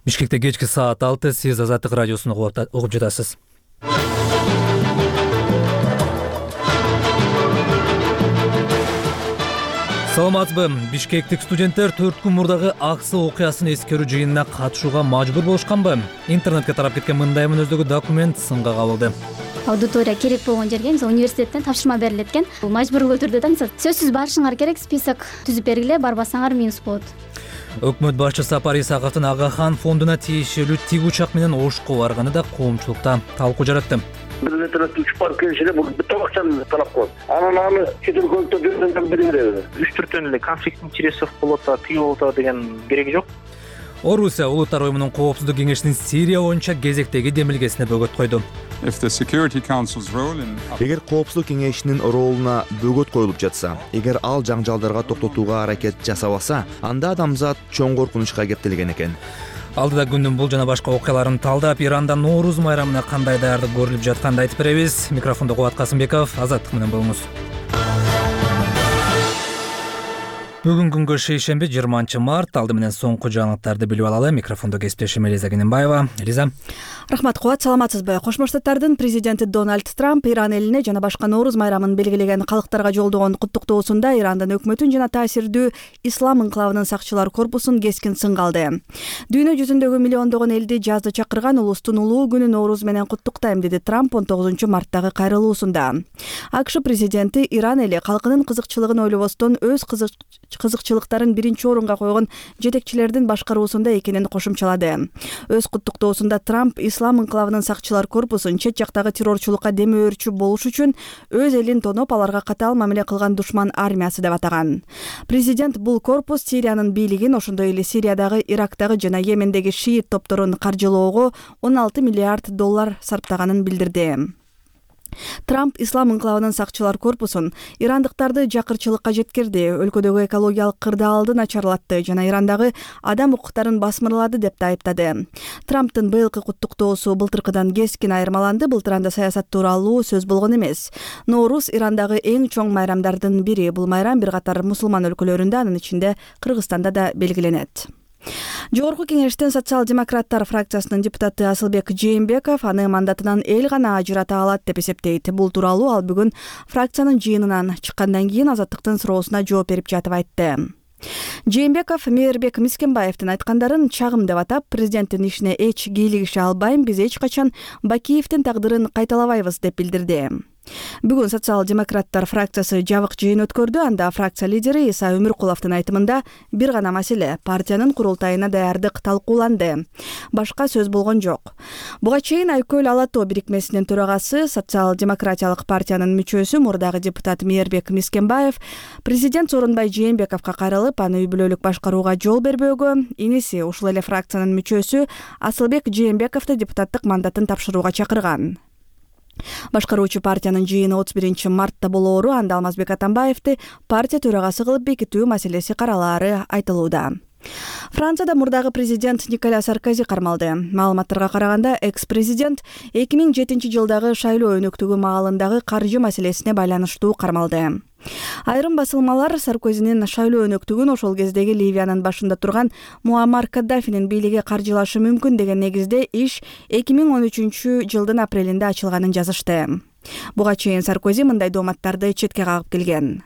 Бишкекте кечки саат 6, сиз Азаттык радиосун угуп жатасыз. Саламатсызбы? Бишкектик студенттер 4 күн мурдагы Аксы окуясын эскерүү жыйынына катышууга мажбур болушканбы? Интернетке тарап кеткен мындай мүнөздөгү документ сынга кабылды. Аудитория керек болгон жерге, мисалы университеттен тапшырма берилет экен. Бул мажбурлуу түрдө да, мисалы сөзсүз барышыңар керек, список түзүп бергиле, барбасаңар минус болот. Өкмөт башчысы Сапар Исаковдун Агахан фондуна тиешелүү тик учак менен Ошко барганы да коомчулукта талкуу жаратты. Интернет учуп барып келишине бул бүт акчаны талап коет. Аны чет өлкөлүктө бирден беребиз. 3-4 эле конфликт интересов болот, тыйыл болот деген кереги жок. Орусия Улуттар уюмунун коопсуздук кеңешинин Сирия боюнча кезектеги демилгесине бөгөт койду. Эгер коопсуздук кеңешинин ролуна бөгөт коюлуп жатса, эгер ал жаңжалдарга токтотууга аракет жасабаса, анда адамзат чоң коркунучка кептелген экен. Алдыда күндүн бул жана башка окуяларын талдап, Иранда Нооруз майрамына кандай даярдык көрүлүп жатканын айтып беребиз. Микрофондо Кубат Касымбеков, Азаттык менен болуңуз. Бүгүн күнгө шейшемби 20-март. Алды менен соңку жаңылыктарды билип алалы. Микрофондо кесиптешим Элиза Кененбаева. Элиза. Рахмат, Кубат, саламатсызбы? Кошмо Штаттардын президенти Дональд Трамп Иран элине жана башка Нооруз майрамын белгилеген калктарга жолдогон куттуктоосунда Ирандын өкмөтүн жана таасирдүү ислам инкылабынын сакчылар корпусун кескин сынга алды. Дүйнө жүзүндөгү миллиондогон элди жазды чакырган улустун улуу күнү Нооруз менен куттуктайм, деди Трамп 19-марттагы кайрылуусунда. АКШ президенти Иран эли калкынын кызыкчылыгын ойлобостон өз кызыкчылыктарын биринчи орунга койгон жетекчилердин башкаруусунда экенин кошумчалады. Өз куттуктоосунда Трамп ислам инкылабынын сакчылар корпусун чет жактагы террорчулукка дем өөрчү болуш үчүн өз элин тоноп, аларга катаал мамиле кылган душман армиясы деп атаган. Президент бул корпус Сириянын бийлигин, ошондой эле Сириядагы, Ирактагы жана Йемендеги шиит топторун каржылоого $16 миллиард сарптаганын билдирди. Трамп ислам инкылабынын сакчылар корпусун ирандыктарды жакырчылыкка жеткирди, өлкөдөгү экологиялык кырдаалды начарлатты жана Ирандагы адам укуктарын басмырлады деп да айыптады. Трамптын быйылкы куттуктоосу былтыркыдан кескин айырмаланды. Былтыр анда саясат тууралуу сөз болгон эмес. Нооруз Ирандагы эң чоң майрамдардын бири. Бул майрам бир катар мусулман өлкөлөрүндө, анын ичинде Кыргызстанда да белгиленет. Жогорку кеңештин социал-демократтар фракциясынын депутаты Асылбек Жээнбеков аны мандатынан эл гана ажырата алат деп эсептейт. Бул тууралуу ал бүгүн фракциянын жыйынынан чыккандан кийин Азаттыктын суроосуна жооп берип жатып айтты. Жээнбеков Мээрбек Мискенбаевдин айткандарын чагым деп атап, президенттин ишине эч кийлигише албайм, биз эч качан Бакиевдин тагдырын кайталабайбыз деп билдирди. Бүгүн социал-демократтар фракциясы жабык жыйын өткөрдү. Анда фракция лидери Иса Өмүркуловдун айтымында бир гана маселе — партиянын курултайына даярдык талкууланды. Башка сөз болгон жок. Буга чейин Айкөл Ала Тоо бирикмесинин төрагасы, социал-демократиялык партиянын мүчөсү, мурдагы депутат Мээрбек Мискенбаев президент Сооронбай Жээнбековго кайрылып, аны үй бүлөлүк башкарууга жол бербөөгө, иниси ушул эле фракциянын мүчөсү Асылбек Жээнбековду депутаттык мандатын тапшырууга чакырган. Башкаруучу партиянын жыйыны 31-мартта болоору, анда Алмазбек Атамбаевди партия төрагасы кылып бекитүү маселеси каралаары айтылууда. Францияда мурдагы президент Николя Саркози кармалды. Маалыматтарга караганда, экс-президент 2007 жылдагы шайлоо өнөктүгү маалындагы каржы маселесине байланыштуу кармалды. Айрым басылмалар Саркозинин шайлоо өнөктүгүн ошол кездеги Ливиянын башында турган Муаммар Каддафинин бийлиги каржылашы мүмкүн деген негизде иш 2013 жылдын апрелинде ачылганын жазышты. Буга чейин Саркози мындай дооматтарды четке кагып келген.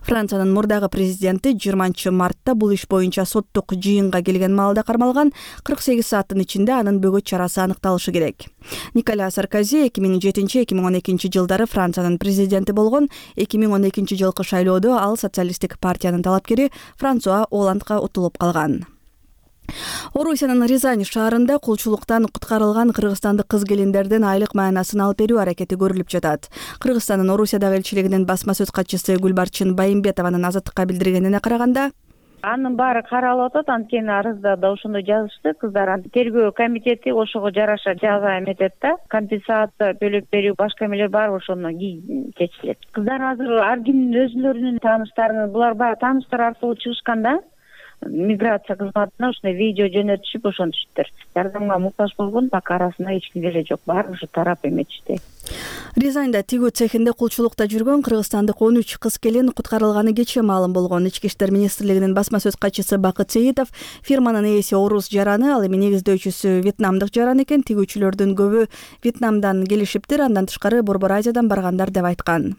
Франциянын мурдагы президенти 20-мартта бул иш боюнча соттук жыйынга келген маалда кармалган. 48 сааттын ичинде анын бөгөт чарасы аныкталышы керек. Николя Саркози 2007-2012 жылдары Франциянын президенти болгон. 2012 жылкы шайлоодо ал социалисттик партиянын талапкери Франсуа Оландга утулуп калган. Орусиянын Рязань шаарында кулчулуктан куткарылган кыргызстандык кыз-келиндердин айлык маанасын алып берүү аракети көрүлүп жатат. Кыргызстандын Орусиядагы элчилигинин басма сөз катчысы Гүлбарчын Байымбетованын Азаттыкка билдиргенине караганда, анын баары каралып атат. Анткени арызда да ошондой жазышты. Кыздар тергөө комитети ошого жараша жаза эметет да, компенсация төлөп берүү, башка эмелер бар, ошону чечилет. Кыздар азыр ар кимдин өзүлөрүнүн тааныштарын, булар баягы тааныштар аркылуу чыгышкан да. миграция кызматына ушундай видео жөнөтүшүп ошентишиптир. Жардамга муктаж болгон так арасында эч ким деле жок. Баары ушу тарап эметишти. Рязаньда тигүү цехинде кулчулукта жүргөн кыргызстандык 13 кыз келин куткарылганы кечээ маалым болгон. Ички иштер министрлигинин басма сөз катчысы Бакыт Сеитов фирманын ээси орус жараны, ал эми негиздөөчүсү вьетнамдык жаран экен. Тигүүчүлөрдүн көбү Вьетнамдан келишиптир, андан тышкары Борбор Азиядан баргандар деп айткан.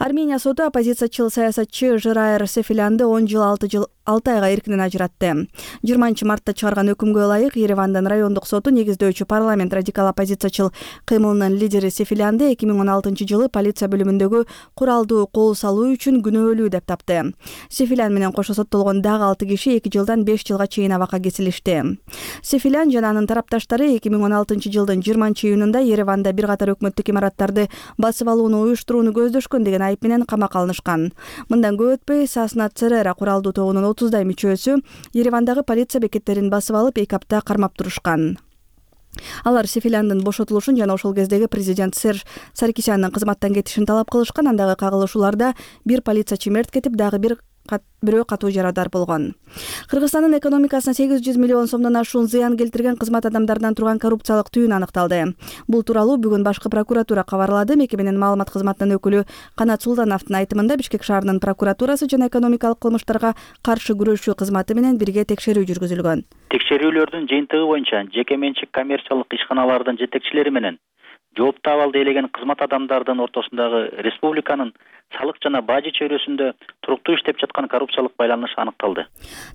Армения соду оппозициячыл саясатчы Жираер Сефилянды 10 жыл 6 айга эркинен ажыратты. 20 мартта чыгарган өкүмгө ылайык Еревандын райондук соту негиздөөчү парламент радикал оппозициячыл кыймылынын лидери Сефилянды 2016 жылы полиция бөлүмүндөгү куралдуу кол салуу үчүн күнөөлүү деп тапты. Сефилян менен кошо соттолгон дагы 6 киши 2 жылдан 5 жылга чейин абакка кесилишти. Сефилян жана анын тарапташтары 2016 жылдын 20 июнунда Ереванда бир катар өкмөттүк имараттарды басып алууну уюштурууну көздөшкөн деген айып менен камакка алынышкан. Мындан көп өтпөй Сасна Церера куралдуу тобунун 30дай мүчөсү Еревандагы полиция бекеттерин басып алып 2 апта кармап турушкан. Алар Сефиляндын бошотулушун жана ошол кездеги президент Серж Саркисяндын кызматтан кетишин талап кылышкан. Андагы кагылышууларда бир полициячы мерт кетип, дагы бирөө катуу жарадар болгон. Кыргызстандын экономикасына 800 миллион сомдон ашуун зыян келтирген кызмат адамдарынан турган коррупциялык түйүн аныкталды. Бул тууралуу бүгүн башкы прокуратура кабарлады. Мекеменин маалымат кызматынын өкүлү Канат Султановдун айтымында Бишкек шаарынын прокуратурасы жана экономикалык кылмыштарга каршы күрөшүү кызматы менен бирге текшерүү жүргүзүлгөн. Текшерүүлөрдүн жыйынтыгы боюнча жеке менчик коммерциялык ишканалардын жетекчилери менен жоопту абалды ээлеген кызмат адамдардын ортосундагы республиканын салык жана бажы чөйрөсүндө туруктуу иштеп жаткан коррупциялык байланыш аныкталды.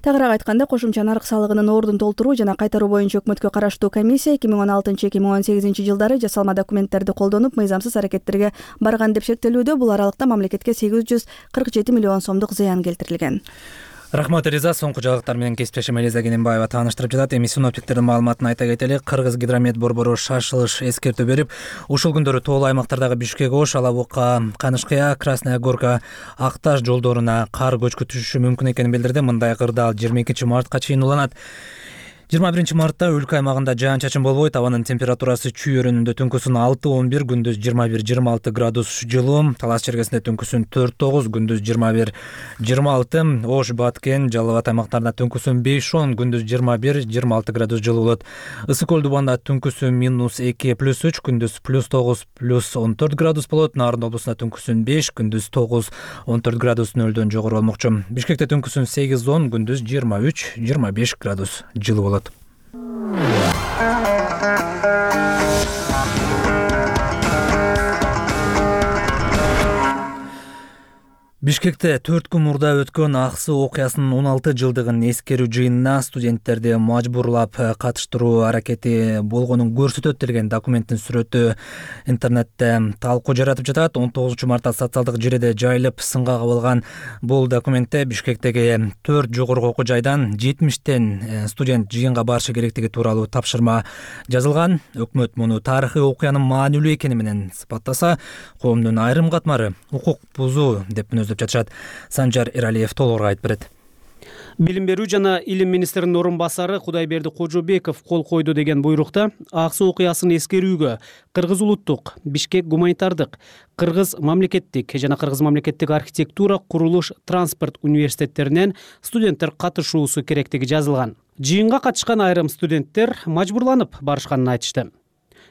Тагыраак айтканда, кошумча нарык салыгынын ордун толтуруу жана кайтаруу боюнча өкмөткө караштуу комиссия 2016-2018 жылдары жасалма документтерди колдонуп, мыйзамсыз аракеттерге барган деп шектелүүдө. Бул аралыкта мамлекетке 847 миллион сомдук зыян келтирилген. Рахмат Риза, соңку жаңылыктар менен кесиптешим Элиза Кененбаева тааныштырып жатат. Эми синоптиктердин маалыматын айта кетели. Кыргыз гидромет борбору шашылыш эскертүү берип, ушул күндөрү тоолуу аймактардагы Бишкек, Ош, Алабука, Канышкыя, Красная Горка, Акташ жолдоруна кар көчкү түшүшү мүмкүн экенин билдирди. Мындай кырдаал 22 мартка чейин уланат. 21 мартта өлкө аймагында жаан-чачын болбойт. Абанын температурасы чүй өрөөнүндө түнкүсүн 6-11, күндүз 21-26 градус жылуу. Талас чергесинде түнкүсүн 4-9, күндүз 21-26. Ош, Баткен, Жалал Абад аймактарында түнкүсүн 5-10, күндүз 21-26 градус жылуу болот. Ысык Көл Дубанда түнкүсүн -2, +3, күндүз +9, +14 градус болот. Нарын облусунда түнкүсүн 5, күндүз 9, 14 градус нөлдөн жогору болмокчу. Бишкекте түнкүсүн 8-10, күндүз 23-25 градус жылуу болот. Бишкекте 4 күн мурда өткөн Аксы окуясынын 16 жылдыгын эскерүү жыйынына студенттерди мажбурлап катыштыруу аракети болгонун көрсөтөт деген документтин сүрөтү интернетте талкуу жаратып жатат. 19 мартта социалдык желеде жайылып сынга кабылган бул документте Бишкектеги 4 жогорку окуу жайдан 70тен студент жыйынга барышы керектиги тууралуу тапшырма жазылган. Өкмөт муну тарыхый окуянын маанилүү экени менен сыпаттаса, коомдун айрым катмары укук бузуу деп деп жатышат. Санжар Эралиев толугураак айтып берет. Билим берүү жана илим министринин орун басары Кудайберди Кожобеков кол койду деген буйрукта Аксы окуясын эскерүүгө Кыргыз улуттук, Бишкек гуманитардык, Кыргыз мамлекеттик жана Кыргыз мамлекеттик архитектура, курулуш, транспорт университеттеринен студенттер катышуусу керектиги жазылган. Жыйынга катышкан айрым студенттер мажбурланып барышканын айтышты.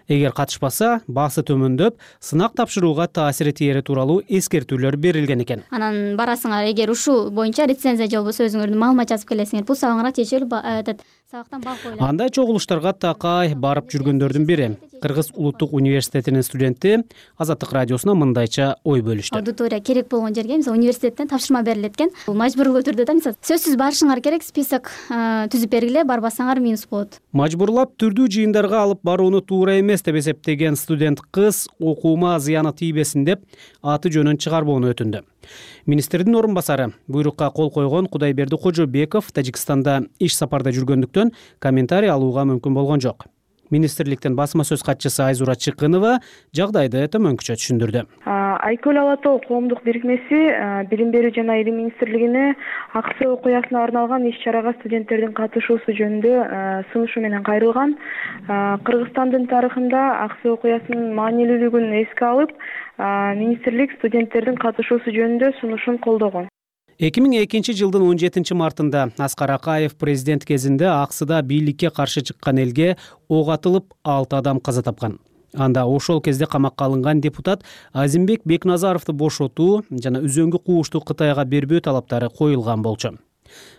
Эгер катышпаса, баасы төмөндөп, сынак тапшырууга таасири тиери тууралуу эскертүүлөр берилген экен. Анан барасыңар, эгер ушул боюнча рецензия же болбосо өзүңөрдүн маалымат жазып келесиңер, бул сабагыңарга чечилип сабактан бак коюлат. Андай чогулуштарга такай барып жүргөндөрдүн бири Кыргыз улуттук университетинин студенти Азаттык радиосуна мындайча ой бөлүштү. Аудитория керек болгон жерге, мисалы университеттен тапшырма берилет экен. Бул мажбурлуу түрдө да, мисалы сөзсүз барышыңар керек, список түзүп бергиле, барбасаңар минус болот. Мажбурлап түрдүү жыйындарга алып барууну туура эмес деп эсептеген студент кыз окуума зыяны тийбесин деп аты жөнүн чыгарбоону өтүндү. Министрдин орун басары буйрукка кол койгон Кудайберди Кожобеков Тажикстанда иш сапарда жүргөндүктөн комментарий алууга мүмкүн болгон жок. Министрликтен басма сөз катчысы Айзура Чыкынова жагдайды төмөнкүчө түшүндүрдү. Айкөл Ала Тоо коомдук бирикмеси Билим берүү жана илим министрлигине Аксы окуясына арналган иш-чарага студенттердин катышуусу жөнүндө сунушу менен кайрылган. Кыргызстандын тарыхында Аксы окуясынын маанилүүлүгүн эске алып, министрлик студенттердин катышуусу жөнүндө сунушун колдогон. 2002-жылдын 17-мартында Аскар Акаев президент кезинде Аксыда бийликке каршы чыккан элге ок атылып 6 адам каза тапкан. Анда ошол кезде камакка алынган депутат Азимбек Бекназаровду бошотуу жана үзөңгү куушту Кытайга бербөө талаптары коюлган болчу.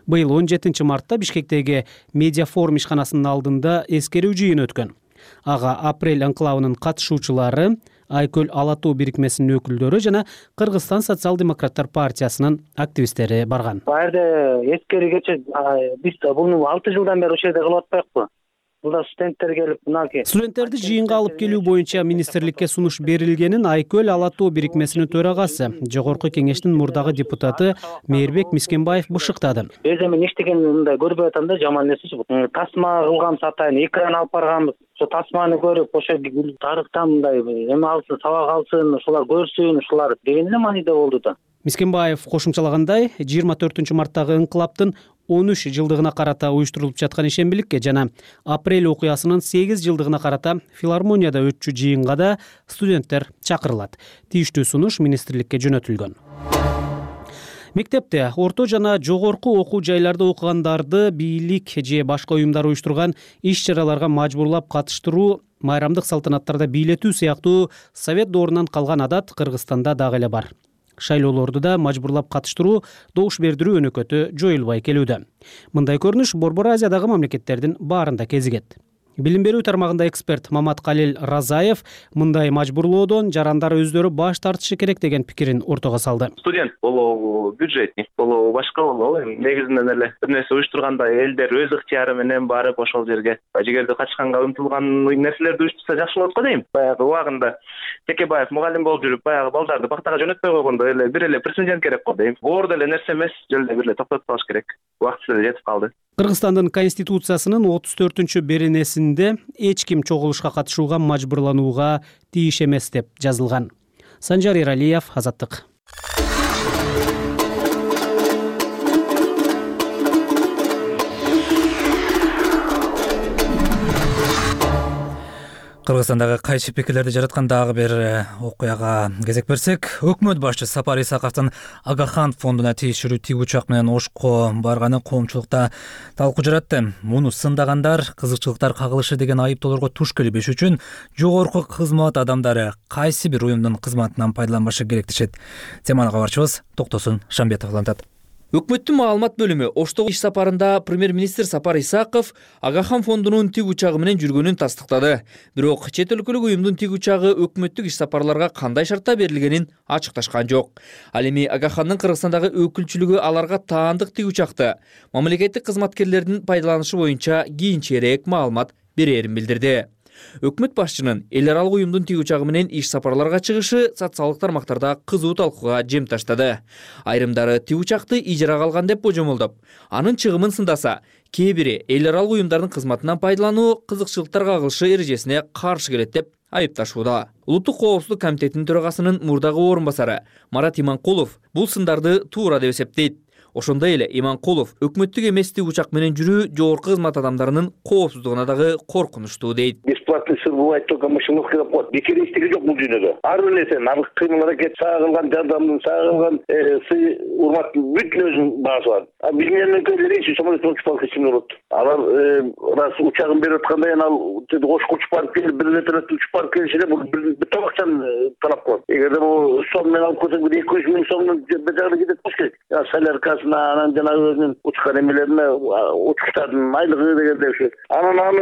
Быйыл 17-мартта Бишкектеги Медиафорум ишканасынын алдында эскерүү жыйыны өткөн. Ага Апрель анклавынын катышуучулары, Айкөл Алатуу бирикмесинин өкүлдөрү жана Кыргызстан социал-демократтар партиясынын активисттери барган. Бул жерде эскерүүгече биз буну 6 жылдан бери ошол жерде кылып атпайбызбы? Буда студенттер келип, мынакей студенттерди жыйынга алып келүү боюнча министрликке сунуш берилгенин Айкөл Алатуу бирикмесинин төрагасы, Жогорку кеңештин мурдагы депутаты Мээрбек Мискенбаев бышыктады. Өзү мен эчтеген мындай көрбөй атам да, жаман нерсе чыгып. Тасма кылганбыз атайын, экран алып барганбыз. Ошо тасманы көрүп, ошо тарыхтан мындай эме алсын, сабак алсын, ушулар көрсүн, ушулар деген эле мааниде болду да. Мискенбаев кошумчалагандай, 24-марттагы инкылаптын 13 жылдыгына карата уюштурулуп жаткан ишембиликке жана Апрель окуясынын 8 жылдыгына карата филармонияда өтчү жыйынга да студенттер чакырылат. Тийиштүү сунуш министрликке жөнөтүлгөн. Мектепте, орто жана жогорку окуу жайларда окугандарды бийлик же башка уюмдар уюштурган иш-чараларга мажбурлап катыштыруу, майрамдык салтанаттарда бийлетүү сыяктуу совет доорунан калган адат Кыргызстанда дагы эле бар. Шайлоолорду да мажбурлап катыштыруу, добуш бердирүү өнөкөтү жоюлбай келүүдө. Мындай көрүнүш Борбор Азиядагы мамлекеттердин баарында кезигет. Билим берүү тармагында эксперт Маматкалил Разаев мындай мажбурлоодон жарандар өздөрү баш тартышы керек деген пикирин ортого салды. Студент болобу, бюджетник болобу, башка болобу, негизинен эле бир нерсе уюштурганда элдер өз ыктыяры менен барып ошол жерге жигерди качканга умтулган нерселерди уюштурса жакшы болот го дейм. Баягы убагында Текебаев мугалим болуп жүрүп, баягы балдарды бактага жөнөтпөй койгондо эле бир эле президент керек го дейм. Оор деле нерсе эмес, жөн эле бир эле токтотуп калыш керек. Убактысы эле жетип калды. Кыргызстандын Конституциясынын 34-беренесинде эч ким чогулушка катышууга мажбурланууга тийиш эмес деп жазылган. Санжар Эралиев, Азаттык. Кыргызстандагы кайчы пикирлерди жараткан дагы бир окуяга кезек берсек, өкмөт башчысы Сапар Исаковдун Агахан фондуна тиешелүү тик учак менен Ошко барганы коомчулукта талкуу жаратты. Муну сындагандар кызыкчылыктар кагылышы деген айыптоолорго туш келбеш үчүн жогорку кызмат адамдары кайсы бир уюмдун кызматынан пайдаланбашы керек дешет. Теманы кабарчыбыз Токтосун Шамбетов улантат. Өкмөттүн маалымат бөлүмү Оштогу иш сапарында премьер-министр Сапар Исаков Агахан фондунун тик учагы менен жүргөнүн тастыктады. Бирок чет өлкөлүк уюмдун тик учагы өкмөттүк иш сапарларга кандай шартта берилгенин ачыкташкан жок. Ал эми Агахандын Кыргызстандагы өкүлчүлүгү аларга таандык тик учакты мамлекеттик кызматкерлердин пайдаланышы боюнча кийинчерээк маалымат берерин билдирди. Өкмөт башчынын эл аралык уюмдун тик учагы менен иш сапарларга чыгышы социалдык тармактарда кызуу талкууга жем таштады. Айрымдары тик учакты ижарага алган деп божомолдоп, анын чыгымын сындаса, кээ бири эл аралык уюмдардын кызматынан пайдалануу кызыкчылыктар кагылышы эрежесине каршы келет деп айыпташууда. Улуттук коопсуздук комитетинин төрагасынын мурдагы орун басары Марат Иманкулов бул сындарды туура деп эсептейт. Ошондой эле Иманкулов өкмөттүк эмес тик учак менен жүрүү жогорку кызмат адамдарынын коопсуздугуна дагы коркунучтуу дейт. Бесплатный сыр бывает только мышеловка деп коет. Бекерестиги жок бул дүйнөдө. Ар бир нерсе, наркы кыймыл аракет, сага кылган жардамдын, сага кылган сый урматтын бүт өзүнүн баасы бар. А биз менен көйлөрүнчү самолеттон учуп алып кетсем болот. Алар раз учагын берип атканда ал Ошко учуп барып келип, бир вертолетте учуп барып келишине бул бир табакчан талап кылат. Эгерде бул сом менен алып келсең, 200 миң сомдун бежагына кетет болуш керек. Соляркасына, анан жанагы өзүнүн учкан эмелерине, учкучтардын айлыгы дегенде ошо. Анан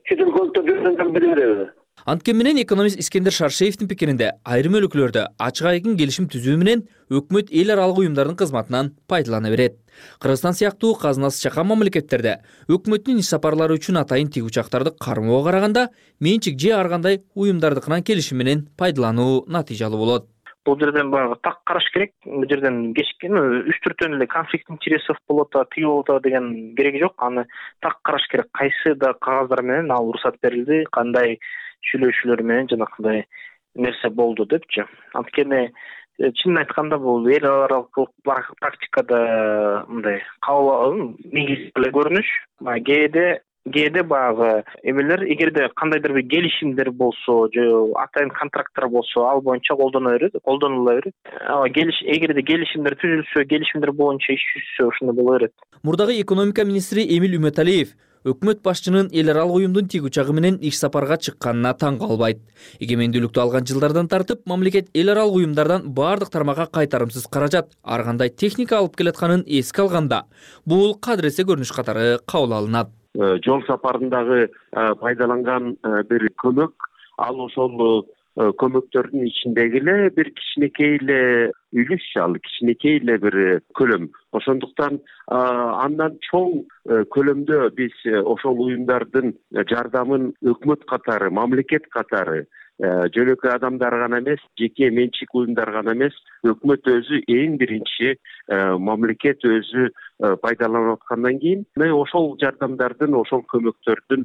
чет өлкөлүктөр жүргөндөн бири береби. Анткени менен экономист Искендер Шаршеевдин пикиринде айрым өлкөлөрдө ачык айкын келишим түзүү менен өкмөт эл аралык уюмдардын кызматынан пайдалана берет. Кыргызстан сыяктуу казынасы чакан мамлекеттерде өкмөттүн иш сапарлары үчүн атайын тик учактарды кармоого караганда менчик же ар кандай уюмдардыкынан келишим менен пайдалануу натыйжалуу болот. Бул жерден баягы так караш керек. Бул жерден кечкен 3-4 эле конфликт интересов болот, тиги болот деген кереги жок. Аны так караш керек. Кайсы да кагаздар менен ал уруксат берилди, кандай сүйлөшүүлөр менен жанакындай нерсе болду депчи. Анткени чынын айтканда бул эл аралык практикада мындай негиз эле көрүнүш. Кээде кээде баягы эмелер эгерде кандайдыр бир келишимдер болсо же атайын контракттар болсо ал боюнча колдонула берет. Эгерде келишимдер түзүлсө, келишимдер боюнча иш жүзсө ошондой боло берет. Мурдагы экономика министри Эмиль Үмөталиев өкмөт башчынын эл аралык уюмдун тиг учагы менен иш сапарга чыкканына таң калбайт. Эгемендүүлүктү алган жылдардан тартып, мамлекет эл аралык уюмдардан баардык тармакка кайтарымсыз каражат, ар кандай техника алып келатканын эске алганда, бул кадыресе көрүнүш катары кабыл алынат. Жол сапарындагы пайдаланган бир көмөк, ал ошол көмөктөрдүн ичиндеги эле бир кичинекей эле үлүш, ал кичинекей эле бир көлөм. Ошондуктан андан чоң көлөмдө биз ошол уюмдардын жардамын өкмөт катары, мамлекет катары, жөнөкөй адамдар гана эмес, жеке менчик уюмдар гана эмес, өкмөт өзү эң биринчи, мамлекет өзү пайдаланып аткандан кийин ошол жардамдардын, ошол көмөктөрдүн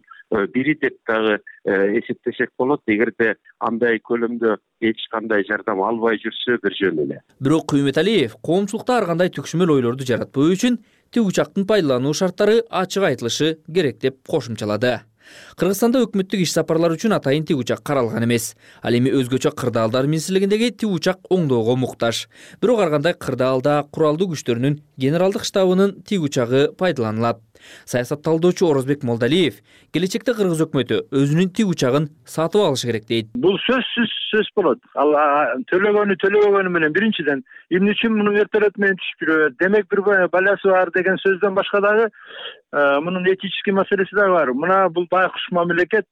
бири деп дагы эсептесек болот. Эгерде андай көлөмдө эч кандай жардам албай жүрсө бир жөн эле. Бирок Үмөталиев коомчулукта ар кандай түкшүмөл ойлорду жаратпоо үчүн тиг учактын пайдалануу шарттары ачык айтылышы керек деп кошумчалады. Кыргызстанда өкмөттүк иш сапарлар үчүн атайын тиг учак каралган эмес. Ал эми өзгөчө кырдаалдар министрлигиндеги тиг учак оңдоого муктаж. Бирок ар кандай кырдаалда куралдуу күчтөрүнүн генералдык штабынын тиг учагы пайдаланылат. Саясатталдоочу Орозбек Молдалиев келечекте кыргыз өкмөтү өзүнүн тиг учагын сатып алышы керек дейт. Бул сөзсүз болот. Ал төлөгөнү менен биринчиден эмне үчүн муну вертолет менен түшүп жүрөт? Демек бир баласы бар деген сөздөн башка дагы мунун этический маселеси дагы бар. Мына бул байкуш мамлекет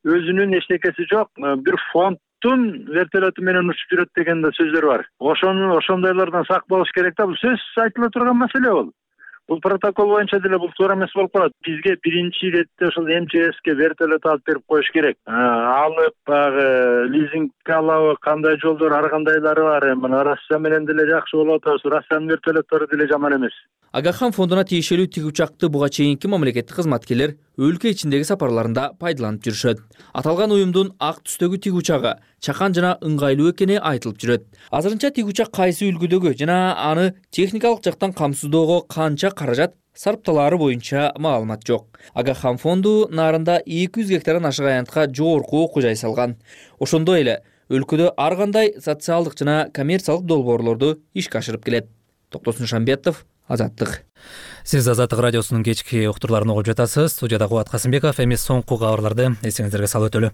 өзүнүн эчтекеси жок бир фонддун вертолету менен учуп жүрөт деген да сөздөр бар. Ошондойлордон сак болуш керек да. Бул сөзсүз айтыла турган маселе бул. Бул протокол боюнча деле бул туура эмес болуп калат. Бизге биринчи иретте ошол МЧСке вертолет алып берип коюш керек. Алып багы лизингге алабы, кандай жолдор, ар кандайлары бар. Мына Россия менен деле жакшы болуп атабыз. Россиянын вертолеттори деле жаман эмес. Агахан фондуна тиешелүү тиг учакты буга чейинки мамлекеттик кызматкерлер өлкө ичиндеги сапарларында пайдаланып жүрүшөт. Аталган уюмдун ак түстөгү тиг учагы чакан жана ыңгайлуу экени айтылып жүрөт. Азырынча тиг учак кайсы үлгүдөгү жана аны техникалык жактан камсыздоого канча каражат сарпталаары боюнча маалымат жок. Агахан фонду нарында 200 гектардан ашык аянтка жогорку окуу жай салган. Ошондой эле өлкөдө ар кандай социалдык жана коммерциялык долбоорлорду ишке ашырып келет. Токтосун Шамбетов, Азаттык. Сиз Азаттык радиосунун кечки уктурларын угуп жатасыз. Студияда Кубат Касымбеков. Эми соңку кабарларды эсиңиздерге салып өтөлү.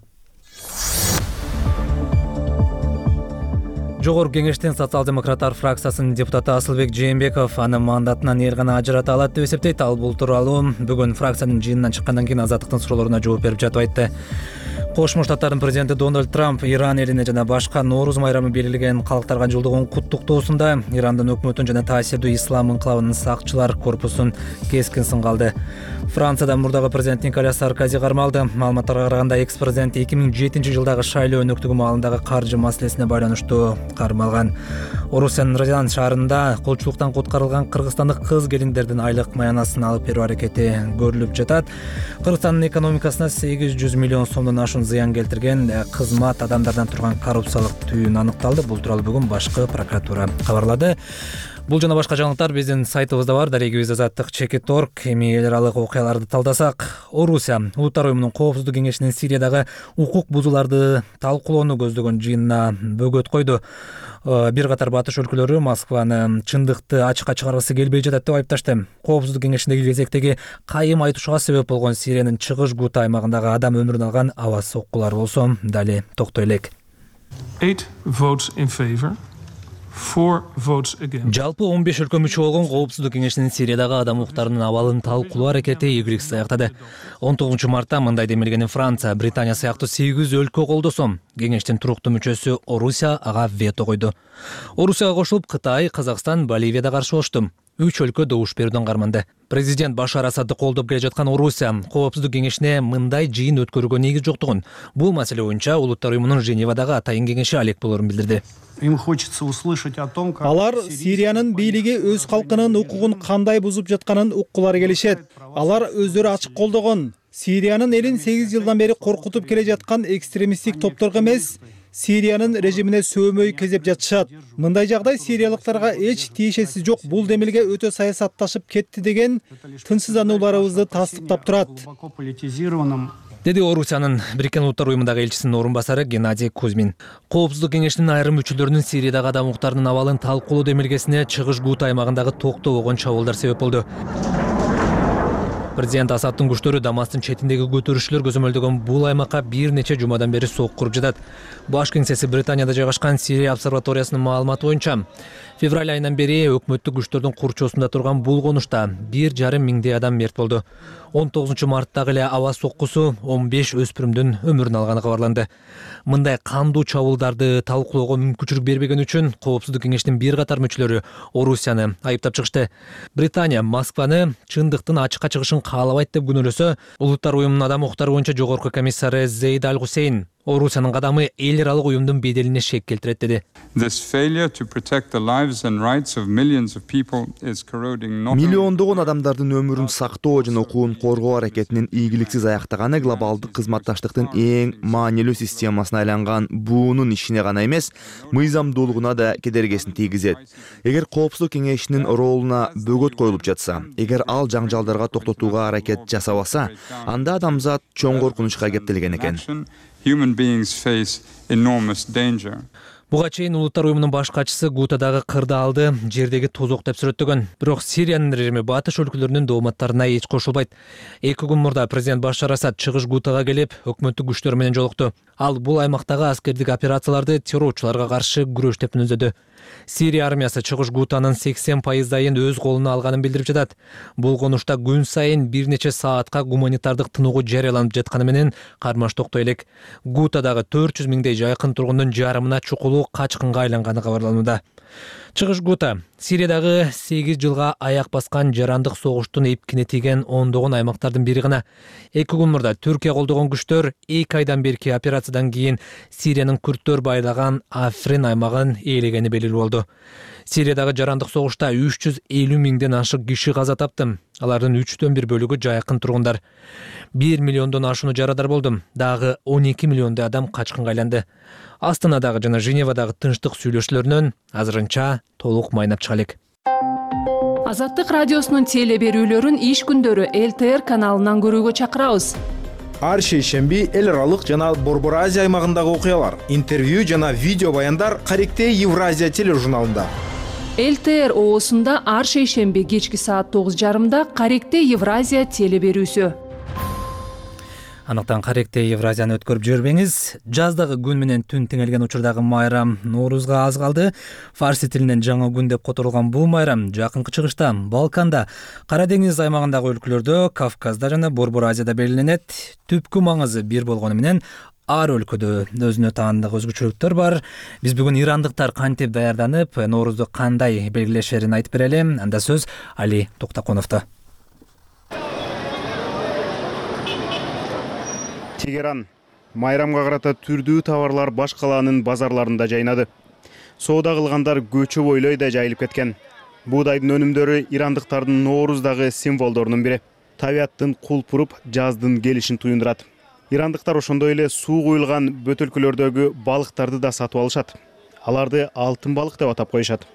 Жогорку кеңештин социал-демократтар фракциясынын депутаты Асылбек Жээнбеков аны мандатынан эл гана ажырата алат деп эсептейт. Ал бул тууралуу бүгүн фракциянын жыйынынан чыккандан кийин Азаттыктын суроолоруна жооп берип жатып айтты. Кошмо Штаттардын президенти Дональд Трамп Иран элине жана башка Нооруз майрамы белгилеген калктарга жылдыгын куттуктоосунда Ирандын өкмөтүн жана таасирдүү ислам инкылабынын сакчылар корпусун кескин сынга алды. Францияда мурдагы президент Николя Саркози кармалды. Маалыматтарга караганда экс-президент 2007-жылдагы шайлоо өнөктүгү маалындагы каржы маселесине байланыштуу кармалган. Орусиянын Розан шаарында колчулуктан куткарылган кыргызстандык кыз келиндердин айлык маянасын алып берүү аракети көрүлүп жатат. Кыргызстандын экономикасына 800 миллион сомдон ашуун зыян келтирген кызмат адамдардан турган коррупциялык түйүн аныкталды. Бул тууралуу бүгүн башкы прокуратура кабарлады. Бул жана башка жаңылыктар биздин сайтыбызда бар. Дарегибиз Азаттык.org. Эми эл аралык окуяларды талдасак, Орусия Улуттар уюмунун коопсуздук кеңешинин Сириядагы укук бузууларды талкуулоону көздөгөн жыйынына бөгөт койду. Бир катар батыш өлкөлөрү Москваны чындыкты ачыкка чыгаргысы келбей жатат деп айыпташты. Коопсуздук кеңешиндеги кезектеги кайым айтышууга себеп болгон Сириянын чыгыш Гута аймагындагы адам өмүрүн алган аба соккулар болсо дали токтой элек. 8 votes in favor. 4 votes against. Жалпы 15 өлкө мүчө болгон коопсуздук кеңешинин Сириядагы адам укуктарынын абалын талкуулоо аракети ийгиликсиз аяктады. 19 мартта мындай демилгени Франция, Британия сыяктуу 8 өлкө колдосо, кеңештин туруктуу мүчөсү Орусия ага вето койду. Орусияга кошулуп Кытай, Казакстан, Боливия да каршы болушту. 3 өлкө добуш берүүдөн карманды. Президент Башар Асадды колдоп келе жаткан Орусия коопсуздук кеңешине мындай жыйын өткөрүүгө негиз жоктугун, бул маселе боюнча Улуттар уюмунун Женевадагы атайын кеңеши алек болорун билдирди. Им хочется услышать о том, как алар Сириянын бийлиги өз калкынын укугун кандай бузуп жатканын уккулары келишет. Алар өздөрү ачык колдогон. Сириянын элин 8 жылдан бери коркутуп келе жаткан экстремисттик топторго эмес, Сириянын режимине сөөмөй кезеп жатышат. Мындай жагдай сириялыктарга эч тиешеси жок, бул демилге өтө саясатташып кетти деген тынчсызданууларыбызды тастыктап турат, деди Орусиянын Бириккен Улуттар уюмундагы элчисинин орун басары Геннадий Кузьмин. Коопсуздук кеңешинин айрым мүчөлөрүнүн Сириядагы адам укуктарынын абалын талкуулоо демилгесине чыгыш Гута аймагындагы токтогон чабуулдар себеп болду. Президент Асадтын күчтөрү Дамастын четиндеги көтөрүшчүлөр көзөмөлдөгөн бул аймакка бир нече жумадан бери сок куруп жатат. Баш кеңсеси Британияда жайгашкан Сирия обсерваториясынын маалыматы боюнча, февраль айынан бери өкмөттүк күчтөрдүн курчоосунда турган булгонушта 1,5 миңдей адам мерт болду. 19 марттагы эле аба соккусу 15 өспүрүмдүн өмүрүн алганы кабарланды. Мындай кандуу чабуулдарды талкуулоого мүмкүнчүлүк бербеген үчүн Коопсуздук кеңешинин бир катар мүчөлөрү Орусияны айыптап чыгышты. Британия Москваны чындыктын ачыкка чыгышын каалабайт деп күнөөлөсө, Улуттар уюмунун адам укуктары боюнча жогорку комиссары Зейд Аль-Хусейн Орусиянын кадамы эл аралык уюмдун беделине шек келтирет деди. Миллиондогон адамдардын өмүрүн сактоо жана укугун коргоо аракетинин ийгиликсиз аяктаганы глобалдык кызматташтыктын эң маанилүү системасына айланган буунун ишине гана эмес, мыйзамдуулугуна да кедергесин тийгизет. Эгер Коопсуздук кеңешинин ролуна бөгөт коюлуп жатса, эгер ал жаңжалдарга токтотууга аракет жасабаса, анда адамзат чоң коркунучка кептелген экен. Буга чейин Улуттар уюмунун баш катчысы Гутадагы кырдаалды жердеги тозок деп сүрөттөгөн. Бирок Сириянын режими батыш өлкөлөрүнүн дооматтарына эч кошулбайт. 2 күн мурда президент Башар Асад чыгыш Гутага келип, өкмөттүк күчтөр менен жолукту. Ал бул аймактагы аскердик операцияларды террорчуларга каршы күрөш деп мүнөздөдү. Сирия армиясы чыгыш Гутанын 80% өз колуна алганын билдирип жатат. Булгонушта күн сайын бир нече саатка гуманитардык тынугу жарыяланып жатканы менен кармаш токтой элек. Гутадагы 400 миңдей жайкын тургундун жарымына чукулуу качкынга айланганы кабарланууда. Чыгыш Гута Сириядагы 8 жылга аяк баскан жарандык согуштун эпкине тийген ондогон аймактардын бири гана. 2 күн мурда Түркия колдогон күчтөр 2 айдан берки операциядан кийин Сириянын күрттөр байлаган Африн аймагын ээлегени белгилүү болду. Сириядагы жарандык согушта 350 миңден ашык киши каза тапты. Алардын 3/4 бөлүгү жайкын тургундар. 1 миллиондон ашууну жарадар болду. Дагы 12 миллиондой адам качкынга айланды. Астанадагы жана Женевадагы тынчтык сүйлөшүүлөрүнөн азырынча толук майнап чыга элек. Азаттык радиосунун теле берүүлөрүн иш күндөрү ЛТР каналынан көрүүгө чакырабыз. Ар шейшемби эл аралык жана Борбор Азия аймагындагы окуялар, интервью жана видео баяндар Каректе Евразия тележурналында. ЛТР оосунда ар шейшемби кечки саат 9:30 Каректе Евразия теле берүүсү. Анықтан Каректе Евразияны өткөрүп жүрбеңиз. Жаздагы күн менен түн теңелген учурдагы майрам Ноорузга аз калды. Фарси тилинен жаңы күн деп которулган бул майрам жакынкы чыгышта Балканда, Кара деңиз аймагындагы өлкөлөрдө, Кавказда жана Борбор Азияда белгиленет. Түпкү маңызы бир болгону менен ар өлкөдө өзүнө таандык өзгөчөлүктөр бар. Биз бүгүн ирандыктар кантип даярданып, Ноорузду кандай белгилешерин айтып берели. Анда сөз Али Токтаконовдо. Тегеран. Майрамга карата түрдүү товарлар баш калаанын базарларында жайнады. Соода кылгандар көчө бойлой да жайылып кеткен. Буудайдын өнүмдөрү ирандыктардын Нооруздагы символдорунун бири. Табияттын кулпуруп, жаздын келишин туюндурат. Ирандыктар ошондой эле суу куюлган бөтөлкөлөрдөгү балыктарды да сатып алышат. Аларды алтын балык деп атап коюшат.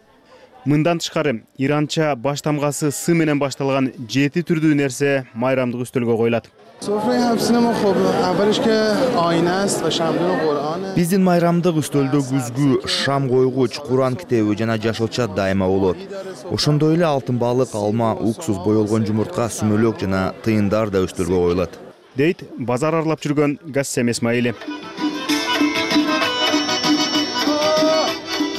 Мындан тышкары, иранча баш тамгасы сы менен башталган 7 түрдүү нерсе майрамдык үстөлгө коюлат. Биздин майрамдык үстөлдө күзгү, шам койгуч, Куран китеби жана жашылча дайыма болот. Ошондой эле алтын балык, алма, уксус, боелгон жумуртка, сүмөлөк жана тыйындар да үстөлгө коюлат. Дейт базар арлап жүргөн Гассем Эсмаили.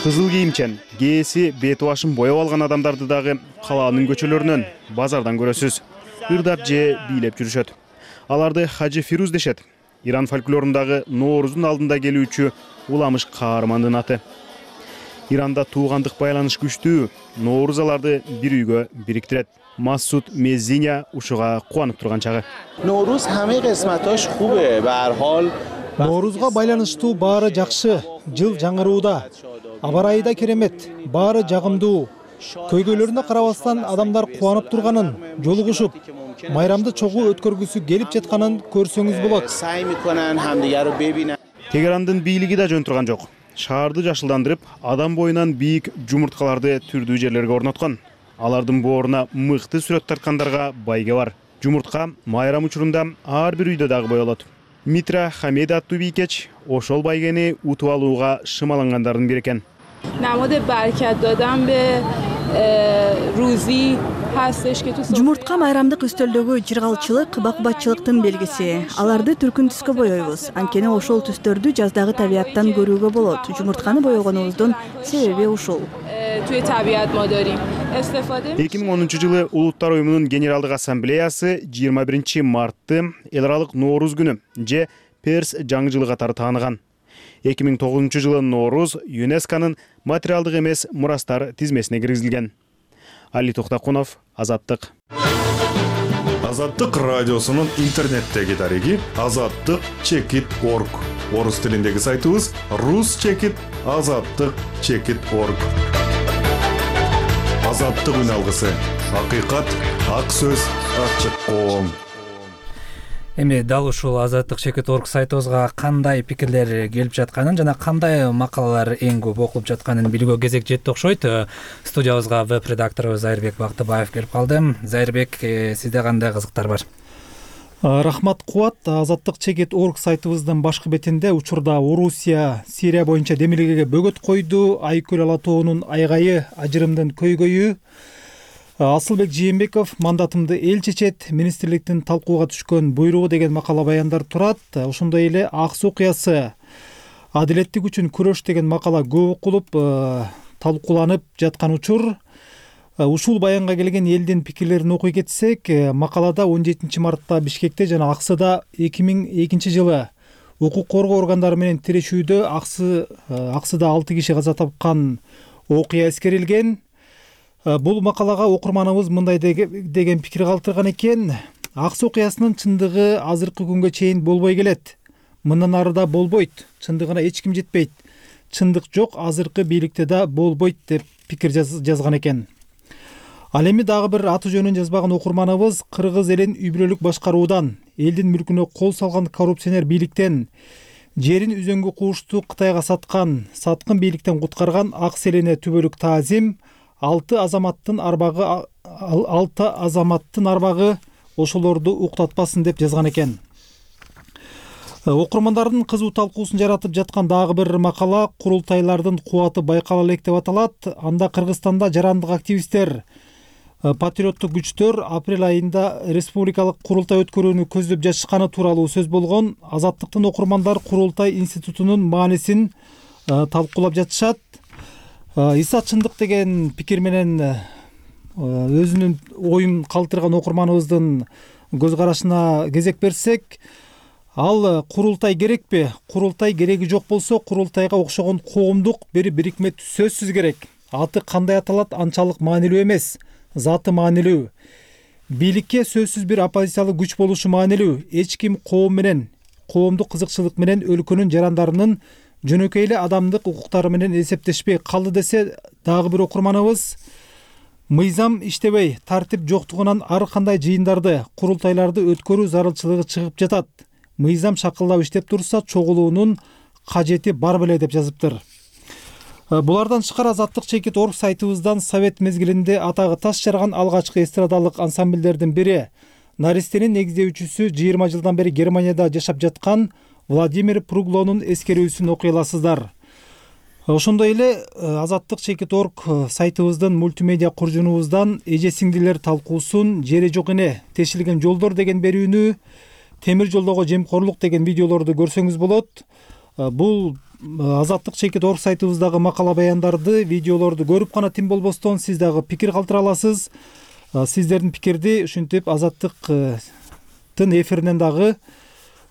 Кызыл кийимчен, кээси бет башын боеп алган адамдарды дагы калаанын көчөлөрүнөн, базардан көрөсүз. Ырдап же бийлеп жүрүшөт. Аларды Хажы Фируз дешет. Иран фольклорундагы Ноорузун алдында келүүчү уламыш каармандын аты. Иранда туугандык байланыш күчтүү, Ноорuz аларды бир үйгө бириктирет. Масуд Меззиня ушуга кубанып турган чагы. Ноорuz хамы кысматош хубе, бар хол. Ноорузга байланыштуу баары жакшы, жыл жаңырууда. Аба ырайы да керемет, баары жагымдуу. Көйгөйлөрүнө карабастан адамдар кубанып турганын, жолугушуп, майрамды чогуу өткөргүсү келип жатканын көрсөңүз болот. Тегерандын бийлиги да жөн турган жок. Шаарды жашылдандырып, адам боюнан бийик жумурткаларды түрдүү жерлерге орноткон. Алардын бооруна мыкты сүрөт тарткандарга байге бар. Жумуртка майрам учурунда ар бир үйдө дагы боелот. Митра Хамеда аттуу бийкеч ошол байгени утуп алууга шымалангандардын бири экен. намуд баракат додам бе рузи hastش که تو жумуртка майрамдык үстөлдөгү жыргалчылык, бакбатчылыктын белгиси. Аларды түркүн түскө боёйбуз. Анткени ошол түстөрдү жаздагы табияттан көрүүгө болот. Жумуртканы боёгонубуздун себеби ушул. توی طبیعت ما داریم. استفاده 2010-жылы Улуттар уюмунун Генералдык ассамблеясы 21 мартты эл аралык Нооруз күнү же Перс жаңы жылы катары тааныган. 2009-жылы Нооруз ЮНЕСКОнун материалдык эмес мурастар тизмесине киргизилген. Али Токтакунов, Азаттык. Азаттык радиосунун интернеттеги дареги azattyk.org. Орус тилиндеги сайтыбыз rus.azattyk.org. Азаттык үн алгысы. Акыйкат, ак сөз, ачык коом. Эми дал ушул azattyk.org сайтыбызга кандай пикирлер келип жатканын жана кандай макалалар эң көп окулуп жатканын билүүгө кезек жетти окшойт. Студиябызга веб-редакторубуз Зайырбек Бактыбаев келип калды. Зайырбек, сизде кандай кызыктар бар? Рахмат Кубат. azattyk.org сайтыбыздын башкы бетинде учурда Орусия Сирия боюнча демилгеге бөгөт койду, Айкөл ала тоонун айгайы, ажырымдын көйгөйү, Асылбек Жээнбеков мандатымды эл чечет, министрликтин талкууга түшкөн буйругу деген макала баяндар турат. Ошондой эле ак суу окуясы, адилеттик үчүн күрөш деген макала көп окулуп, талкууланып жаткан учур. Ушул баянга келген элдин пикирлерин окуй кетсек, макалада 17 мартта Бишкекте жана Аксыда 2002-жылы укук коргоо органдары менен тирешүүдө Аксыда 6 киши каза тапкан окуя эскерилген. Бул макалага окурманыбыз мындай деген пикир калтырган экен. Ак суу окуясынын чындыгы азыркы күнгө чейин болбой келет. Мындан ары да болбойт. Чындыгына эч ким жетпейт. Чындык жок, азыркы бийликте да болбойт деп пикир жазган экен. Ал эми дагы бир аты жөнүн жазбаган окурманыбыз кыргыз элин үй бүлөлүк башкаруудан, элдин мүлкүнө кол салган коррупционер бийликтен, жерин үзөңгү куушту Кытайга саткын бийликтен куткарган ак селене түбөлүк таазим, 6 азаматтын арбагы ошолорду уктатпасын деп жазган экен. Окурмандардын кызуу талкуусун жаратып жаткан дагы бир макала курултайлардын кубаты байкала элек деп аталат. Анда Кыргызстанда жарандык активисттер, патриоттук күчтөр апрель айында республикалык курултай өткөрүүнү көздөп жатышканы тууралуу сөз болгон. Азаттыктын окурмандар курултай институтунун маанисин талкуулап жатышат. Иса чындык деген пикир менен өзүнүн оюн калтырган окурманыбыздын көз карашына кезек берсек, ал курултай керекпи? Курултай кереги жок болсо, курултайга окшогон коомдук бир бирикме сөзсүз керек. Аты кандай аталат анчалык маанилүү эмес, заты маанилүү. Бийликке сөзсүз бир оппозициялык күч болушу маанилүү. Эч ким коом менен, коомдук кызыкчылык менен өлкөнүн жарандарынын жөнөкөй эле адамдык укуктары менен эсептешпей калды десе дагы бир окурманыбыз, мыйзам иштебей, тартип жоктугунан ар кандай жыйындарды, курултайларды өткөрүү зарылчылыгы чыгып жатат. Мыйзам шакылдап иштеп турса, чогулуунун кажети бар беле деп жазыптыр. Булардан тышкары azattyk.org сайтыбыздан совет мезгилинде атагы таш жарган алгачкы эстрадалык ансамбльдердин бири, Наристенин негиздөөчүсү 20 жылдан бери Германияда жашап жаткан Владимир Пруглонун эскерүүсүн окуй аласыздар. Ошондой эле azattyk.org сайтыбыздын мультимедиа куржунубуздан эже сиңдилер талкуусун, жери жок эне, тешилген жолдор деген берүүнү, темир жолдого жемкорлук деген видеолорду көрсөңүз болот. Бул azattyk.org сайтыбыздагы макала баяндарды, видеолорду көрүп гана тим болбостон сиз дагы пикир калтыра аласыз. Сиздердин пикирди ушинтип Азаттыктын эфиринен дагы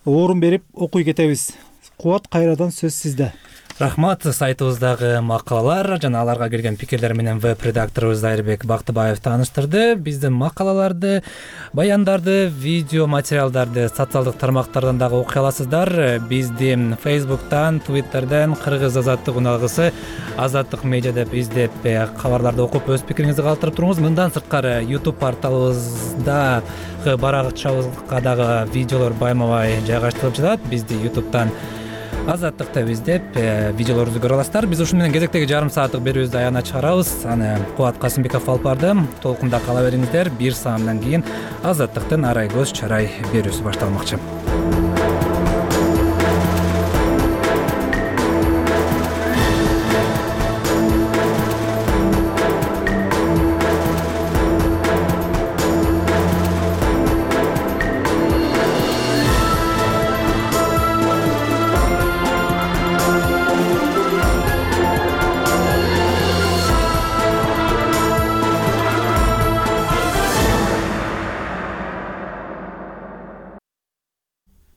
орун берип окуй кетебиз. Кубат, кайрадан сөз сизде. Рахмат. Сайтыбыздагы макалалар жана аларга келген пикирлер менен веб-редакторубуз Зайырбек Бактыбаев тааныштырды. Биздин макалаларды, баяндарды, видео материалдарды социалдык тармактардан дагы окуй аласыздар. Бизди Facebook'тан, Twitter'ден Кыргыз азаттык уналгысы Азаттык медиа деп издеп, кабарларды окуп өз пикириңизди калтырып туруңуз. Мындан сырткары YouTube порталыбызда баракчабызга дагы видеолор байма-бай жайгаштырылып жатат. Бизди YouTube'тан азаттыкты издеп видеолорубузду көрө аласыздар. Биз ушун менен кезектеги жарым сааттык берүүбүздү аягына чыгарабыз. Аны Кубат Касымбеков алып барды. Толкунда кала бериңиздер. 1 сааттан кийин азаттыктын арай көз чарай берүүсү башталмакчы.